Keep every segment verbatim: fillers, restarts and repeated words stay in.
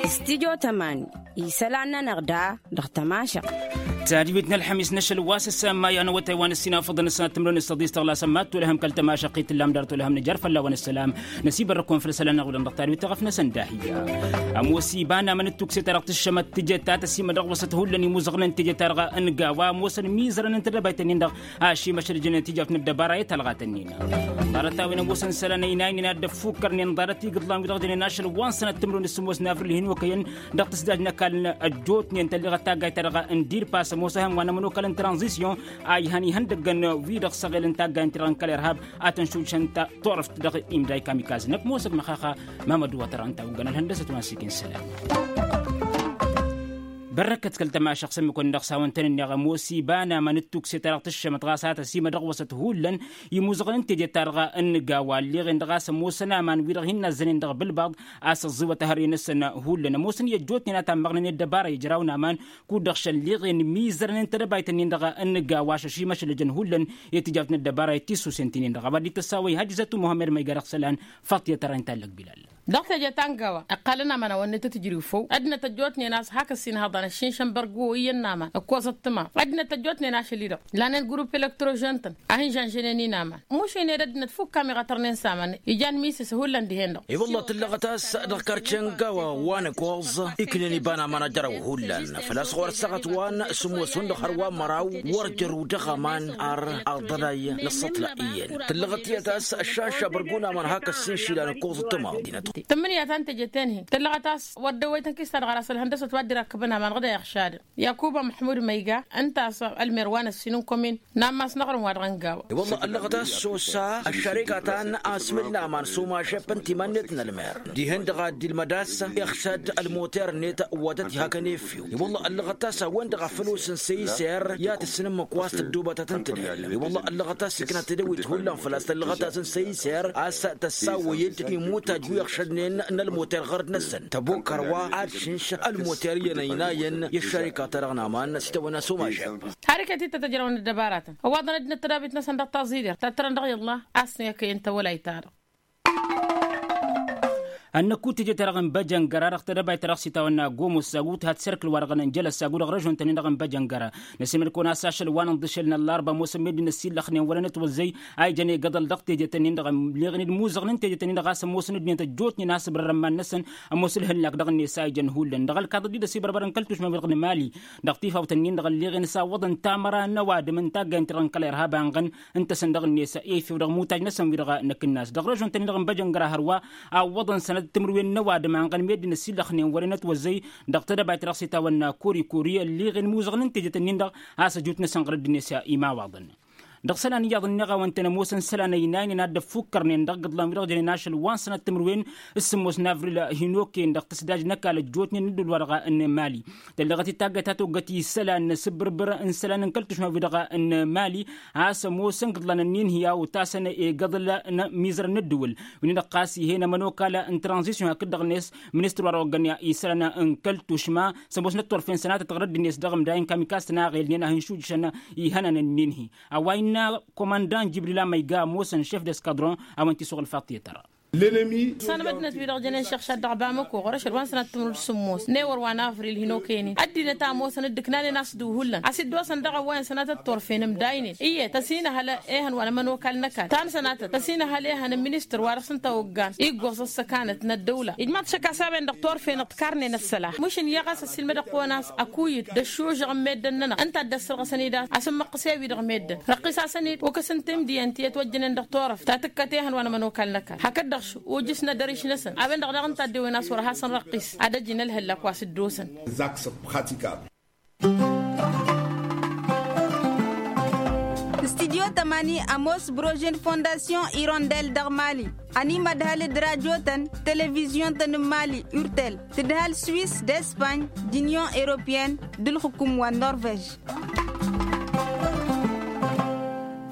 Stidyo tămani isălan-nănăɣ da dăɣ-tămašăɣt. Tadwit n-ălxămis n-ašăl wa s-ăssamay anăwătay wa n-ăssinafăḍăn ăssanăt timrăwen s-tăḍis tăɣlasăm ma t-olăhăm kăl-tămašăɣt i-tǝllam dăr-t olăhăm nǝjăr fălla-wăn ăssălam. Năsibărrăk-wăn făll-isălan-năɣ wădăn dăɣ-tadwit tăɣăf-năsăn d-ahiyya. Ămoos iba n-aman d-tukse-ta-dăɣ tǝššămăt teje ta tăsimădăɣ wăsăt hullan imuzăɣnen teje-ta-dăɣ n-gawa ămoosăn mizărăn n-tedăbayt-nin-dăɣ ašimăšăl jănen tijawt n-ăddăbara i-talɣat-nin. Ḍarăt-a-wen ămoosăn isălan ăynaynen ad-dd-ăffukkărnen ḍarăt igǝḍlan wi-dăɣ jănen ašăl wa n-sănăt timǝrwen d-sǝmmos n-avril hin-okăyăn dăɣ-tǝsdaj n-ăkall n-ăjjootnen tălleɣăt taggayt-ta-dăɣ n-dirpas ămoos ehăn wa n-ămănokal n-tranzisyon a ihăn ihăndăggăn wi-dăɣ săɣel n-taggayt-ta-dăɣ n-kăl-irhab a tăn-šujšăn turăft dăɣ-imday kamikaz-năk ămoosăg măxaxa. Mamăd wa tăra ǝnta a oggăn ălhăndăsăt wa n-sikin sălam. Bărrăkăt kăl-tămašăɣt s-ămmǝk-wăn-dăɣ s-hawăn-tăn-ǝnneɣ ămoos iba n-aman d-tukse-ta-dăɣ tǝššămăt ɣas a tăsimădăɣ wăsăt hullan imuzăɣăn teje-ta-dăɣ n-gawa ălleɣen-dăɣ a-s ămoosăn aman wi-dăɣ hin-nazzănen dăɣ-bǝlbaḍ a-s ăẓẓiwăt ehăre-năsăn hullan ămoosăn i-ăjjootnen a tammăɣnănen ăddăbara ijraw n-aman kud-dăɣ šălleɣen mizărnen tedăbayt-nin-dăɣ n-gawa ašăšimăšlăjăn hullan i-tijawt n-ăddăbara i-tisusen ti-nin-dăɣ a-wa dd-tăssawăy hajjătu muhămmăd măyga dăɣ-isălan. Faṭiyăt ara inta ăllăg bilal. Dăɣ-teje ta n-gawa ǝqqalăn aman a-wa n-nătăt-ǝjrǝw făw ăddinăt ăjjootnen a-s hak ăssinhăḍan ăššinšăn bărgǝwo iyyăn n-aman ǝkkoẓăt tǝmaḍ ăddinăt ăjjootnen ašăl-i-dăɣ lanen grupp elektrožăn-tăn a hin-žănžănen-in aman mušǝynen ăddinăt fukk-am iɣătărnen s-aman. Ijan misǝs hullan dihen-dăɣ. I-wălla tǝllăɣăt a-s dăɣ-karce n-gawa wa n-ǝkkoẓ iknen iba n-aman ajăraw hullan făl-a-s ɣur-ăssaɣăt wa n-sǝmmos hundăɣ hărwa n-măraw wăr jăru dăɣ-aman ar aḍălay n-ăṣṣătla iyyăn tǝllăɣăt iyyăt a-s ăššaša bărgun aman hak ăssinšilan ǝkkoẓăt tǝmaḍ. Tǝmmǝnǝya ta n-teje-ten-hi tǝllăɣăt a-s wăr dd-ăwwăytăn kistad ɣur-asăl hăndăsăt wa dd-irakkăbăn aman ɣǝd a iɣšadăn. Yakuba măḥmud măyga ǝnta a-s ălmer wa n-ăssin n-komin n-ammas n-aɣrǝm wa dăɣ-ăngawa. I-wălla ăllăɣăt a-s sosa ăššareka ta n-asmǝl n-aman s-omažep n-timannet n-ălmer dihen-dăɣ a dd-ilmăd a-s iɣšad ălmoter-net wa tăt-ihakăn efew. I-wălla ăllăɣăt a-s a-wen-dăɣ a făl osăn săyser i-ad-tǝssǝn ǝmmǝk wa s-tăddoobătăt n-tǝdhǝl. I-wălla ăllăɣăt a-s ikna tedăwit hullan făl-a-s tăllăɣăt a-s n-săyser a-s tăssawăy-dd imutaj wi ăɣšădnen n-ălmoter ɣărăt-năsăn tăbokăr wa ad-šǝnš ălmoter iyyăn ăynayăn i-ăššarika-ta-dăɣ n-aman s-itawănna s-omažep. Har iket-dd tăt-ăjrăwăn ăddăbaratăn ăwwaḍăn ăddinăt tădabit-năsăn dăɣ-taẓidert ta t-tărăn dăɣ-iḍla a-s n-ekăyăn tawălayt-ta-dăɣ. Ănnăkut teje-ta-dăɣ n-băjăngăra dăɣ-tedăbayt-ta-dăɣ s-itawănna gomos sagu tǝha tiserkǝl wa-dăɣ n-jălăs sagu dăɣ-režon-tăn-in-dăɣ n-băjăngăra. Năsemăd-kăwăn a-s ašăl wa n-ǝnḍǝšel n-ăllarba ămoosăn meddǝn ăsillăxnen wăren ătwăzzăy a ijăn egăḍăl dăɣ-teje-tăn-in-dăɣ ămleɣnen imuzăɣnen teje-tăn-in-dăɣ a-s ămoosăn ăddinăt ăjjootnen a-s ǝbrărăn iman-năsăn ămoos ǝlhǝllak dăɣ-net a ijăn hullan dăɣ-ălkaḍăt dd-ăsibăr ăbărăn kăl-tušma-wi-dăɣ n-emali dăɣ-tifawt-ǝnnin-dăɣ ălleɣen s-awwăḍăn tamăra n-ăwadǝm n-taggayt n-tărăn kăl-irhab a ănɣăn ǝnta-săn dăɣ-net efew dăɣ-imutaj-năsăn wi-dăɣ năkk n-ass dăɣ-režon-tăn-in-dăɣ n-băjăngăra hărwa. Awwăḍăn sănăt timǝrwen n-ăwadǝm a ănɣăn meddǝn ăsillăxnen wăren ătwăzzăy dăɣ-tedăbayt-ta-dăɣ s-itawănna kori-kori ălleɣen imuzăɣnen tejet-ǝnnin-dăɣ a-s ăjut-năsăn ɣărăt d-net imawaḍăn. Dăɣ-isălan iyyăḍ ǝnneɣ a-wăn-tăn ămoosăn isălan ăynaynen ad-dd-ăffukkărnen dăɣ-igǝḍlan wi-dăɣ jănen ašăl wa n-sănăt timǝrwen s-sǝmmos n-avril hin-okăyăn dăɣ-tǝsdaj n-ăkall ăjjootnen n-ădduul-wa-dăɣ n-mali. Tălleɣăt-dd taggayt ta toggăt isălan n-asǝbbǝrbǝr n-isălan n-kăl-tušma-wi-dăɣ n-mali a-s ămoosăn igǝḍlan-ǝnnin hi-a otasăn egăḍăl n-mizărăn n-ăddǝwǝl. Wi-nin-dăɣ ɣas ih'-en ămănokal n-tranzisyon hakd-dăɣ-net ministăr wa dăɣ-oggăn isălan n-kăl-tušma s-ămoosnăt turfen sănatăt ɣărăt-net dăɣ-imdayăn kamikastăn a ɣelnen a hin-šujjšăn ihănan-ǝnnin-hi. A-wa innă komandan jibril amăyga ămoosăn šef d-eskadron a-wen t-isuɣǝl faṭṭiyăt tăra. Ăssanăm ăddinăt-wi-dăɣ jănen šăɣšad dăɣ-bamăko ɣur-ašăl wa n-sănat timǝrǝd sǝmmos n-ewăr wa n-avril hin-okăyăn-in ăddinăt a ămoosăn dd-ǝknanen a-s duhullan a-s dd-osăn dăɣ-ăwwayăn sănatăt turfen ǝmdaynen iyyăt ăsinăhăl ehăn wa n-ămănokal n-ăkall ta n-sănatăt ăsinăhăl ehăn n-ministăr wa dăɣ-s ǝnta oggan iggoẓ ăssăkanăt n-ăddăwla ijmaḍ šăkk a-s a-wen-dăɣ turfen ǝḍkarnen ăssălax mǝšǝn iyyăɣ a-s ăssiilmădăɣ-kăwăn a-s ăkuyǝd d-ăššužăɣ n-meddǝn-nănăɣ ǝnta a dd-ăssărɣăsăn-dd a-s ǝmmăqqǝs i-wi-dăɣ meddǝn răqqis-asăn-dd ukǝs n-timdiyăn ti ătwăjjănen dăɣ-turăft ta tǝkkăt ehăn wa n-ămănokal n-ăkall hakd-dăɣ š-ujǝs n-edăriš-năsăn a-wen-dăɣ daɣ ǝnta a dd-ewwen a-s wăr hasăn-răqqis ad-ăjjǝn ălhăllak wa s-dd-osăn. Studyo tămani ămoos brožen fondasyon irondel dăɣ-mali ănimădhal d-rajotăn televizyon-tăn n-mali urtel tǝdhal swis d-espany d-unyon europeyăn d-ǝlxǝkum wa n-norvej.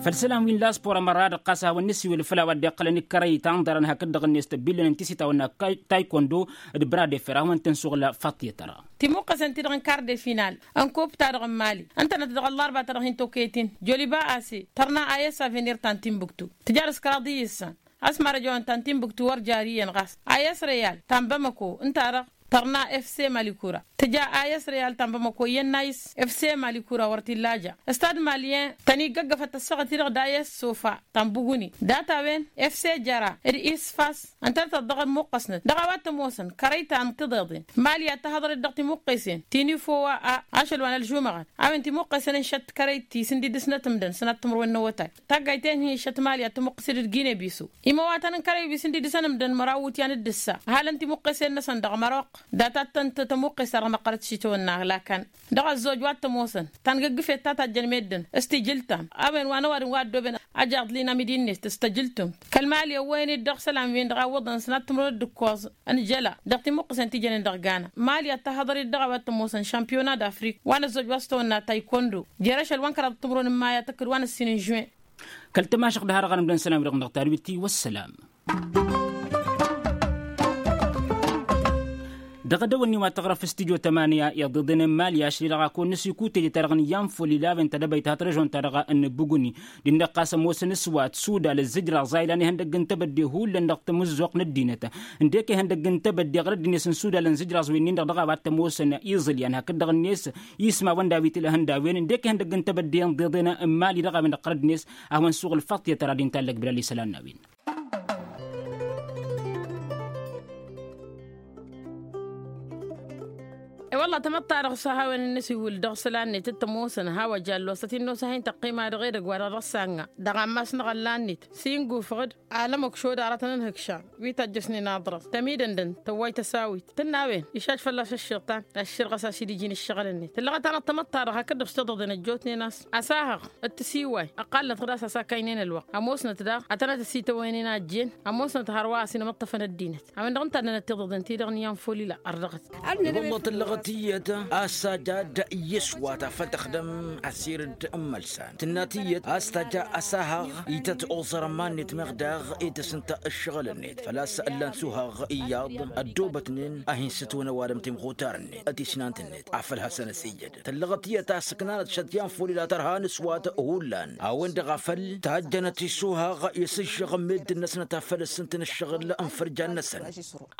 Făll-isălan wi n-laspor ămăra-dăɣ ɣas a hawăn-nǝsiwǝl făll-a-wa dd-iqqălăn ikărăy tanḍărăn hakd-dăɣ-net tăbbilăn n-tisitawăn n-taykondo d-bradeffer a hawăn-tăn-suɣǝl faṭṭiyăt tăra. Timuqqăsen-ti-dăɣ n-karde final n-kup-ta-dăɣ n-mali ǝntănăt dăɣ-ăllarba-ta-dăɣ hin-tokăyăt-in joliba ase tărna a i-s avenir ta n-timbuktu tǝjar s-kăraḍ iyyǝssan. A-s marăj-ăwăn ta n-timbuktu wăr jari iyyăn ɣas. Ayăs reyal ta n-bamăko ǝnta-dăɣ tărna efse malikura tǝja ayăs reyal ta n-bamăko iyyăn n-ayǝs efse malikura wăr t-illa ja. Stad maliyen tăn-iggăggăfăt ăssaɣăt-i-dăɣ d-ayăs sofa ta n-buguni data-wen efse jăra d-isfas. Ǝntănătăt dăɣ-ămmuqqăsnăt dăɣ-a-wa t-ămoosăn kărăy ta n-tiḍeḍen mali ad-tăhăḍăret dăɣ-timuqqesen ti n-ifo wa a ašăl wa n-ălžumăɣăt a-wen timuqqesen ǝnšăt kărăy ti s-ǝndidǝsnăt ǝmdăn sănat timǝrwen n-awătay. Taggayt-en-hi ǝnšăt mali ad-tămuqqǝset d-gine bisu. Imăwatăn n-kărăy wi s-ǝndidǝsăn ǝmdăn măraw iwǝtyan d-ǝssa ăhalăn timuqqesen-năsăn dăɣ-măroq data-tăn tămuqqes-ta-dăɣ măqqărăt šitawănna lakan. Dăɣ-ăzzoj wa t-ămoosăn tangǝggǝfet ta tajjăn meddǝn s-tijǝltam a-wen wa n-ăwadǝm wa ăddooben. Ajjaḍ linamidi-net s-tăjǝltǝmt kăl-mali ăwwăyăn-dd dăɣ-isălan-wen-dăɣ a ǝwwăḍăn sănat timǝrwen d-ǝkkoẓ n-jăla dăɣ-timuqqǝsen ti jănen dăɣ-gana mali ad-tahăḍăr-dd dăɣ-a-wa t-ămoosăn šampiyona d-afrik wa n-ăzzoj wa s-tăwănna taykondo jer-ašăl wa n-kăraḍăt timǝrwen n-maya tăkk d-wa n-ăssin n-žuwen. Kăl-tamašăɣt d-harăɣ-anăm d-ănn isălan-wi-dăɣ n-dăɣ tadwit-i wăssălam. Dăɣ-edăwănni wa tăɣrăf s-tijo tămanya iḍeḍen n-mali ašăl-i-dăɣ a kăwăn-năsikutej ta-dăɣ n-iyyăn folila a-wen tadăbayt hat-režon-ta-dăɣ n-buguni d-innăɣ ɣas ămoosăn s-wa t-sudal ǝzzǝjraẓ a ilan ihăndăgg n-tebădde hullan dăɣ-tamǝzzuɣt n-ăddinăt. Ǝndek ihăndăgg n-tebădde ɣur-ăddinăt n-sudal ănzǝjraẓ wi-nin-dăɣ dăɣ-a-wa t-ămoosăn iẓǝlyan hakd-dăɣ-net ismawăn d-a-wi t-ila ihăndăwen ǝndek ihăndăgg n-tebădde ǝnḍeḍen n-mali dăɣ-a-wen-dăɣ ɣur-ăddinăt. A hawăn-suɣǝl faḍt i-ad-tăra d-intallăg bǝlal isălan n-a-wen. E-wălla tamăḍt-ta-dăɣ s-a hawăn-in-nǝsiwǝl dăɣ-isălan-net t-ămoosăn hawăn jallu a-s tăt-in-nos a hin-tăqqima dăɣ-edăgg wa dăɣ-dăɣ s-anna dăɣ-ammas n-aɣălla-net s-ingufăɣ-dd. Alămăk šodara tăn-ănhǝkšan wi tajjăsnen aḍrăẓ tămidăndăn tăwway tăsawit tǝnn'-a-wen išaš fălla-s ăššiḍtan ăšširɣăs a-s dd-iji n-ǝššăɣǝl-net tǝllăɣăt-anăɣ tamăḍt-ta-dăɣ hakd-dăɣ s-tiḍăḍen ăjjootnen a-s. Asahăɣ d-tisiway ăqqalnăt ɣǝd a-s a-s akaynen ălwăqq ămoosnăt daɣ ad-tănăt-ăsităwăyăn inajjen ămoosnăt hărwa a-s inmǝṭṭăfăn ăddinăt. A-wen-dăɣ ǝnta ănnănăt tiḍăḍen-ti-dăɣ n-iyyăn folila ărdăɣăt. Wălla tǝllăɣăt iyyăt a-s tajja ad-iyyǝs wa ta făl tăxdăm asirǝd n-imălsan tǝnna tiyyăt a-s tajja asahăɣ ităt oẓăr ămannet meɣ daɣ i-tǝsǝnta ǝššăɣǝl-net făl-a-s ǝllan suhaɣ iyyăḍ ăddoobătnen a hin-sǝtwăn ăwadǝm timɣutar-net tisnant-net afăl hasăn-ăsijjădăn tǝllăɣăt iyyăt a-s ǝknanăt šăt iyyăn folila tărha n-aswat hullan a-wen-dăɣ a făl tajjănăt isuhaɣ i-sǝššăɣ n-meddǝn-năsnăt a făl ǝssǝntăn ǝššăɣǝl n-fărjan-năsăn.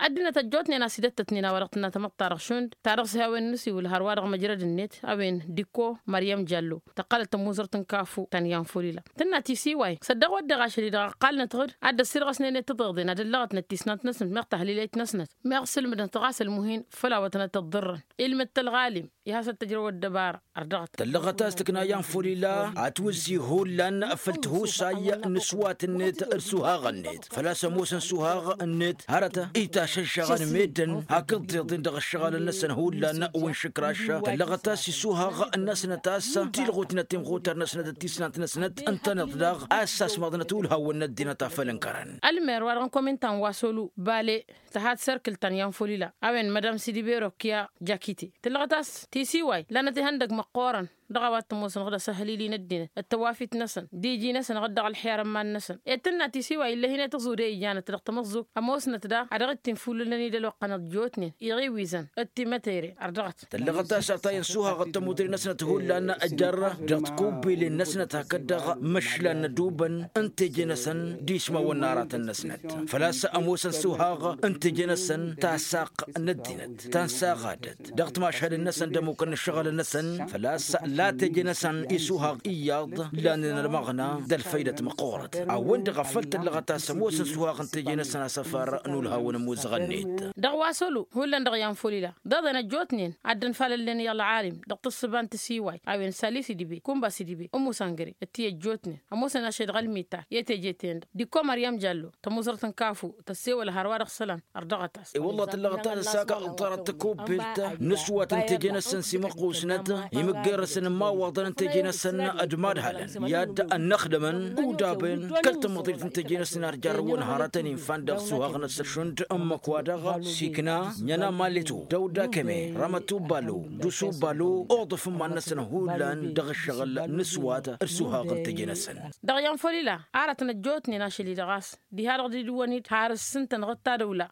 Ăddinăt ăjjootnen a-s idăt-tătnen a-wa dăɣ-tǝnna tamăḍt-ta-dăɣ šund ta dăɣ-s hawăn-nǝsiwǝl hărwa dăɣ-măjrăd-net a-wen dikko măryăm jallo tăqqălăt tămuzărt n-kafu ta n-iyyăn folila tǝnna tisiway s-ăddăɣ wădden ašăl-i-dăɣ ăqqalnăt ɣǝd ad-dd-ăssirɣăsnen i-tiḍeḍen ad-ǝllăɣătnăt tisnant-năsnăt meɣ tahlilayt-năsnăt meɣ sǝlmǝdnăt ɣas ălmuhin făll-a-wa tănăt-ăḍḍărrăn ilmǝd-t ălɣalim i-hasăn-tăjrăw ăddăbara. Ărdăɣăt tăllăɣăt a-s tǝkna iyyăn folila atwǝzzi hullan făll-tihusay n-aswat-net d-asuhaɣ-net făl-a-s ămoosăn asuhaɣ-net hărăt itašăžžăɣăn meddǝn hakd tiḍeḍen dăɣ-ǝššăɣǝlăn-năsăn hullan. Wa n-išǝkraš tăllăɣăt a-s isuhaɣ-năsnăt a-s tilɣutnăt timɣutar-năsnăt d-tisnant-năsnăt ǝntăneḍ daɣ a-s asmăḍnăt ulhawăn n-ăddinăt a făl ǝnkărăn. Ălmer wa dăɣ-n komintan wa solu bale tăha d-serkǝl ta n-iyyăn folila a-wen madam sidibero kiya jakite tǝllăɣăt a-s tisiway lanăt ihăndăg măqqoorăn dăɣ-a-wa t-ămoosăn ɣǝd asăhhălili n-ăddinăt d-tăwafit-năsăn d-iji-năsăn ɣǝd dăɣ-ălxer ămman-năsăn ed tǝnna tisiway ill'-e-hin i-tǝẓud i-ijanăt dăɣ-tamăẓẓugt ămoosnăt daɣ a dăɣ-dd-tinfullǝlăn-dd ălwăqq-anăɣ ăjjootnen iɣiwizăn d-timătere. Ărdăɣăt tăllăɣăt a-s ătayăn suhaɣ d-tămudre-năsnăt hullan jar dăɣ-tikubbelen-năsnăt hakd dăɣ-imăšlan n-ădubăn n-teje-năsăn d-ismawăn n-aratăn-năsnăt făl-a-s ămoosăn suhaɣ n-teje-năsăn tasaq n-ăddinăt ta n-saɣadăt dăɣ-timašhadăn-năsăn d-ămmukăn n-ǝššăɣǝlăn-năsăn făl-a-s la teje-năsăn isuhaɣ iyyăḍ lannen ălmăɣna d-ălfăydăt măqqoorăt. A-wen-dăɣ a făl tăllăɣăt a-s ămoosăn suhaɣ n-teje-năsăn asăfar n-ulhawăn ămuzăɣ-net. Dăɣ-wa sălu hullan dăɣ-iyyăn folila d-eḍen ăjjootnen ad-dd-ănfalălnen i-ălɣalim dăɣ-tǝssǝba n-tisiway a-wen sali sidibe kumba sidibe ǝmmusăngăre d-ti ăjjootnen ămoosăn ašăl dăɣ-ălmitar i-teje-ten-dăɣ dikko măryăm jallo tămuzărt n-kafu tăssewăl hărwa dăɣ-isălan. Ărdăɣăt-as. I-wălla tǝllăɣăt a-s ăsakăɣ ḍarăt tăkubbelt n-ǝswat n-teje-năsăn s-imăqqusnăt imǝgger-săn n-imawaḍăn n-teje-năsăn d-imadhalăn i-ad-ănnăxdămăn udaben kăl-tamăḍrit n-teje-năsăn ar jarrăwăn hărătăn infan dăɣ-suhaɣ-năsăn šund ǝmmǝk-wa-dăɣ sikna ǝnhăna malletu dăw-dakăme rămăt ubalo d-usu ubalo oḍăf n-iman-năsăn hullan dăɣ-ǝššăɣǝl n-ǝswat d-suhaɣ n-teje-năsăn. Dăɣ-iyyăn folila arătăn ăjjootnen ašăl-i-dăɣ a-s diha-dăɣ dd-iwwăn-dd har ǝssǝntăn ɣǝd tadăwla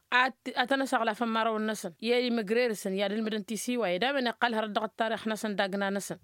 ad-tăn-ăsăɣlafăn imărawăn-năsăn i-imǝgrerǝsăn i-ad-ǝlmǝdăn tisiway d-a-wen iqqăl hărăt dăɣ-ăttarix-năsăn d-agna-năsăn.